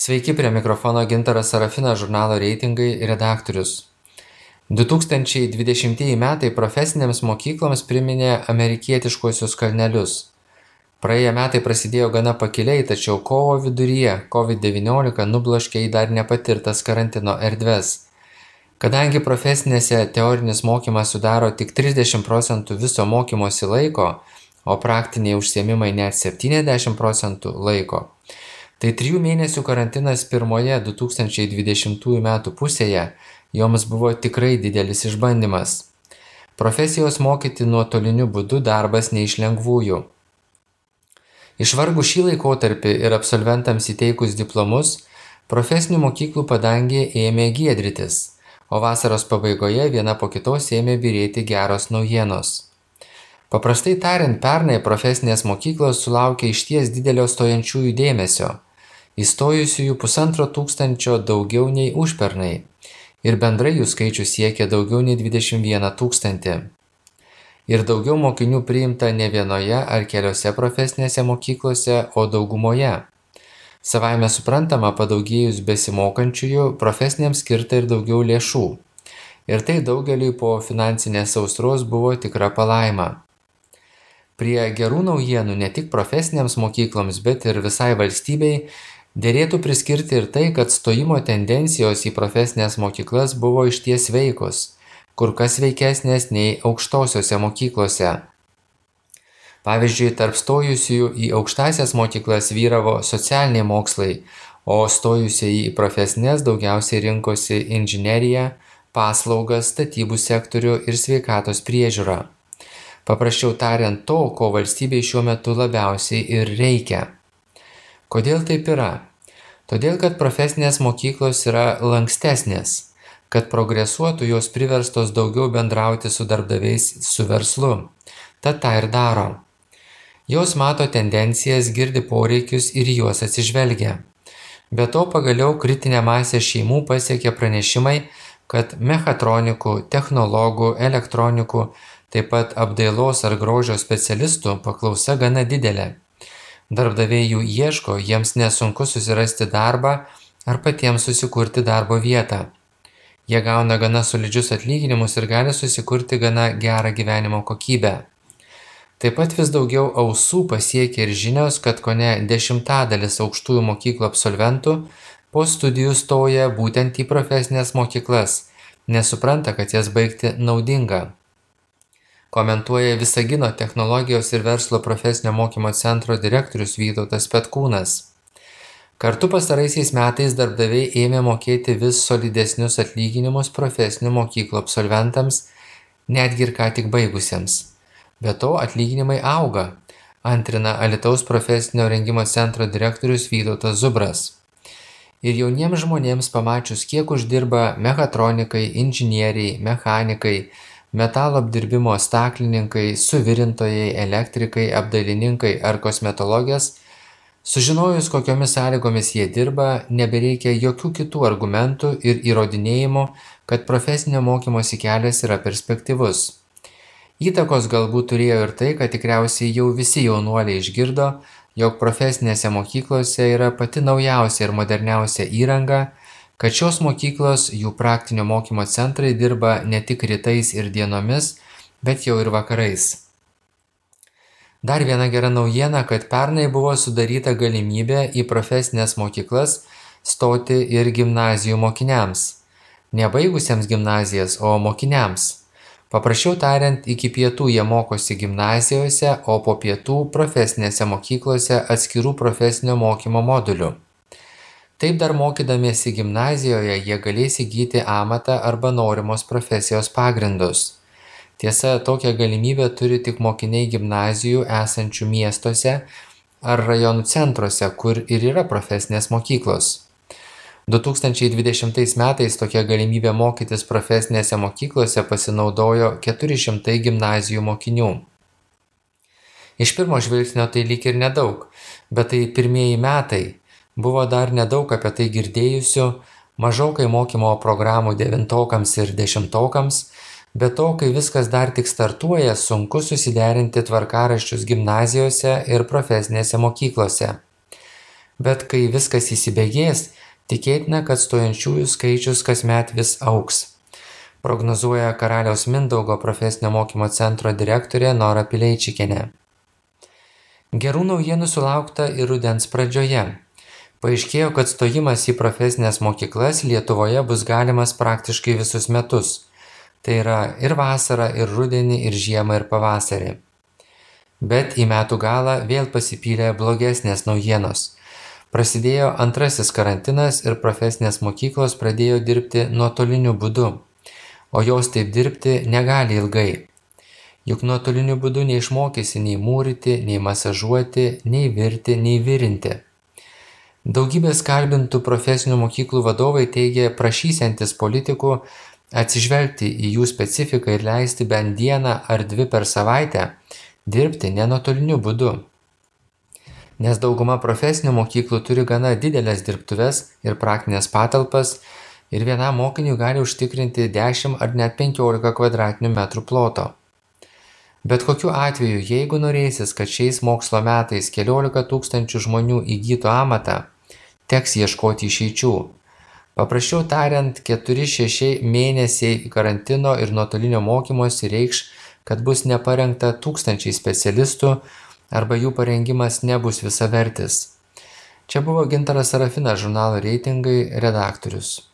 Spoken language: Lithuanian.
Sveiki, prie mikrofono Gintaras Sarafinas, žurnalo Reitingai redaktorius. 2020 metai profesinėms mokykloms priminė amerikietiškuosius kalnelius. Praėję metai prasidėjo gana pakiliai, tačiau kovo viduryje COVID-19 nubloškė į dar nepatirtas karantino erdves. Kadangi profesinėse teorinis mokymas sudaro tik 30% viso mokymosi laiko, o praktiniai užsiėmimai net 70% laiko, tai 3 mėnesių karantinas pirmoje 2020 metų pusėje joms buvo tikrai didelis išbandymas. Profesijos mokyti nuotoliniu būdu darbas ne iš lengvųjų. Išvargus šį laikotarpį ir absolventams įteikus diplomus, profesinių mokyklų padangė ėmė giedrytis, o vasaros pabaigoje viena po kitos ėmė byrėti geros naujienos. Paprastai tariant, pernai profesinės mokyklos sulaukė išties didelio stojančiųjų dėmesio. Įstojusiųjų 1500 daugiau nei užpernai ir bendrai jų skaičius siekė daugiau nei 21 000. Ir daugiau mokinių priimta ne vienoje ar keliose profesinėse mokyklose, o daugumoje. Savaime suprantama, padaugėjus besimokančiųjų, profesinėms skirta ir daugiau lėšų. Ir tai daugeliui po finansinės sausros buvo tikra palaima. Prie gerų naujienų ne tik profesinėms mokykloms, bet ir visai valstybei derėtų priskirti ir tai, kad stojimo tendencijos į profesinės mokyklas buvo išties veikos, kur kas veikesnės nei aukštosiose mokyklose. Pavyzdžiui, tarp stojusiųjų į aukštąsias mokyklas vyravo socialiniai mokslai, o stojusieji į profesinės daugiausiai rinkosi inžineriją, paslaugas, statybų sektorių ir sveikatos priežiūrą. Paprasčiau tariant, to, ko valstybei šiuo metu labiausiai ir reikia. Kodėl taip yra? Todėl, kad profesinės mokyklos yra lankstesnės, kad progresuotų jos priverstos daugiau bendrauti su darbdaviais, su verslu. Tad tą ir daro. Jos mato tendencijas, girdi poreikius ir juos atsižvelgia. Be to, pagaliau kritinę masę šeimų pasiekė pranešimai, kad mechatronikų, technologų, elektronikų, taip pat apdailos ar grožio specialistų paklausa gana didelė. Darbdaviai jų ieško, jiems nesunku susirasti darbą ar patiems susikurti darbo vietą. Jie gauna gana solidžius atlyginimus ir gali susikurti gana gerą gyvenimo kokybę. Taip pat vis daugiau ausų pasiekia ir žinios, kad kone 10% aukštųjų mokyklų absolventų po studijų stoja būtent į profesinės mokyklas, nes supranta, kad jas baigti naudinga. Komentuoja Visagino technologijos ir verslo profesinio mokymo centro direktorius Vytautas Petkūnas. Kartu pastaraisiais metais darbdaviai ėmė mokėti vis solidesnius atlyginimus profesinių mokyklų absolventams, netgi ir ką tik baigusiems. Be to atlyginimai auga, antrina Alytaus profesinio rengimo centro direktorius Vytautas Zubras. Ir jauniems žmonėms pamačius, kiek uždirba mechatronikai, inžinieriai, mechanikai, metalo apdirbimo staklininkai, suvirintojai, elektrikai, apdailininkai ar kosmetologės, sužinojus, kokiomis sąlygomis jie dirba, nebereikia jokių kitų argumentų ir įrodinėjimų, kad profesinio mokymosi kelias yra perspektyvus. Įtakos galbūt turėjo ir tai, kad tikriausiai jau visi jaunuoliai išgirdo, jog profesinėse mokyklose yra pati naujausia ir moderniausia įranga, kad šios mokyklos, jų praktinio mokymo centrai dirba ne tik rytais ir dienomis, bet jau ir vakarais. Dar viena gera naujiena, kad pernai buvo sudaryta galimybė į profesinės mokyklas stoti ir gimnazijų mokiniams. Nebaigusiems gimnazijas, o mokiniams. Paprasčiau tariant, iki pietų jie mokosi gimnazijose, o po pietų profesinėse mokyklose atskirų profesinio mokymo modulių. Taip dar mokydamiesi gimnazijoje jie galės įgyti amatą arba norimos profesijos pagrindus. Tiesa, tokią galimybę turi tik mokiniai gimnazijų esančių miestuose ar rajonų centruose, kur ir yra profesinės mokyklos. 2020 metais tokia galimybė mokytis profesinėse mokyklose pasinaudojo 400 gimnazijų mokinių. Iš pirmo žvilgsnio tai lyg ir nedaug, bet tai pirmieji metai. Buvo dar nedaug apie tai girdėjusių, mažokai mokymo programų 9-okams ir 10-okams, bet to, kai viskas dar tik startuoja, sunku susiderinti tvarkaraščius gimnazijose ir profesinėse mokyklose. Bet kai viskas įsibėgės, tikėtina, kad stojančiųjų skaičius kasmet vis augs, prognozuoja Karaliaus Mindaugo profesinio mokymo centro direktorė Nora Pileičikienė. Gerų naujienų sulaukta ir rudens pradžioje. Paaiškėjo, kad stojimas į profesinės mokyklas Lietuvoje bus galimas praktiškai visus metus. Tai yra ir vasarą, ir rudenį, ir žiemą, ir pavasarį. Bet į metų galą vėl pasipylė blogesnės naujienos. Prasidėjo antrasis karantinas ir profesinės mokyklos pradėjo dirbti nuotoliniu būdu. O jos taip dirbti negali ilgai. Juk nuotoliniu būdu neišmokysi nei mūryti, nei masažuoti, nei virti, nei virinti. Daugybės kalbintų profesinių mokyklų vadovai teigia prašysiantis politikų atsižvelgti į jų specifiką ir leisti bent dieną ar dvi per savaitę dirbti ne nuotoliniu būdu. Nes dauguma profesinių mokyklų turi gana didelės dirbtuves ir praktinės patalpas ir vienam mokiniui gali užtikrinti 10 ar net 15 kvadratinių metrų ploto. Bet kokiu atveju, jeigu norėsis, kad šiais mokslo metais 14 tūkstančių žmonių įgytų amatą, teks ieškoti išeičių. Paprasčiau tariant, 4-6 mėnesiai karantino ir nuotolinio mokymosi reikš, kad bus neparengta tūkstančiai specialistų arba jų parengimas nebus visavertis. Čia buvo Gintaras Sarafinas, žurnalo Reitingai redaktorius.